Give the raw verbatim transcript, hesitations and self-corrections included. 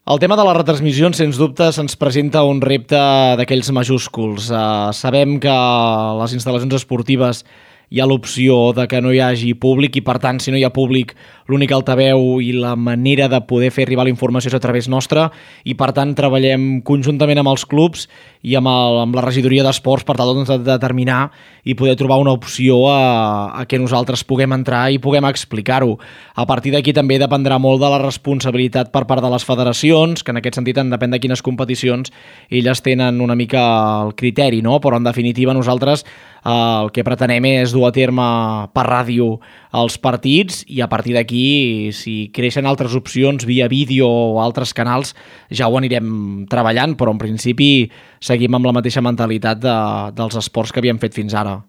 El tema de les retransmissions, sens dubte, se'ns presenta un repte d'aquells majúsculs. Uh, sabem que a les instal·lacions esportives hi ha l'opció de que no hi hagi públic i, per tant, si no hi ha públic, l'únic altaveu i la manera de poder fer arribar la informació és a través nostra i, per tant, treballem conjuntament amb els clubs i amb, el, amb la regidoria d'esports per tal doncs, de determinar i poder trobar una opció a, a que nosaltres puguem entrar i puguem explicar-ho. A partir d'aquí també dependrà molt de la responsabilitat per part de les federacions, que en aquest sentit en depèn de quines competicions elles tenen una mica el criteri, no? Però en definitiva nosaltres eh, el que pretenem és dur a terme per ràdio els partits i a partir d'aquí, si creixen altres opcions via vídeo o altres canals, ja ho anirem treballant, però en principi seguim amb la mateixa mentalitat de, dels esports que havíem fet fins ara.